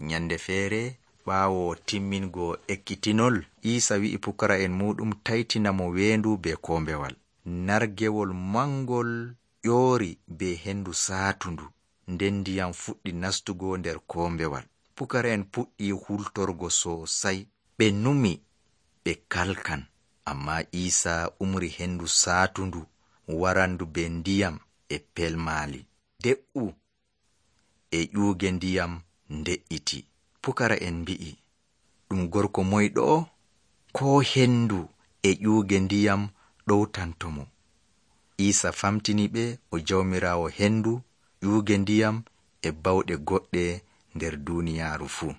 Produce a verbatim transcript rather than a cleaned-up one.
Nyande feere ɓaawo timmingo ekkitinol, Iisa wi'i pukara'en muɗum taytina mo weendu be kombewal. Nargewol mangol ƴoori be hendu saatundu, nden ndiyam fuɗɗi nastugo nder kombewal. Pukara'en puɗɗi hultorgo sosai, ɓe numi ɓe kalkan, amma Iisa umri hendu saatundu warandu be ndiyam e pelmaali. De'u e ƴuuge ndiyam nde'iti. Pukara'en mbi'i, ɗum gorko moyɗo ko hendu e ƴuuge ndiyam ɗowtantomo? Iisa famtini ɓe o jawmiraawo hendu, ƴuuge ndiyam e bawɗe goɗɗe nder duuniyaaru fuu.